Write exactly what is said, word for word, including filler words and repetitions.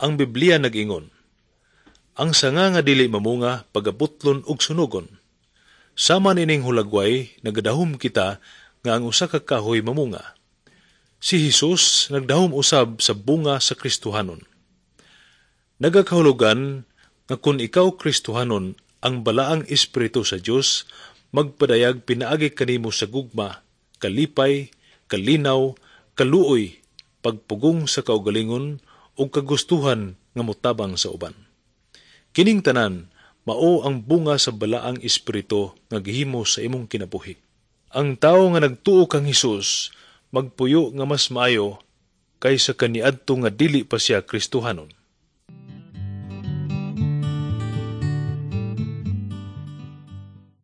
Ang Biblia nag-ingon, ang sanga nga dili mamunga pagabutlon og sunugon. Sama nining hulagway, nagadahom kita nga ang usa ka kahoy mamunga. Si Hesus nagdahom usab sa bunga sa Kristohanon. Nagakahulugan nga kung ikaw Kristohanon, ang balaang espiritu sa Dios magpadayag pinaagi kanimo sa gugma, kalipay, kalinaw, kaluoy, pagpugong sa kaugalingon ug kagustuhan nga motabang sa uban. Kining tanan mao ang bunga sa balaang espiritu nga gihimo sa imong kinabuhi. Ang tawo nga nagtuo kang Hesus magpuyo nga mas maayo kaysa kaniadto nga dili pa siya Kristohanon.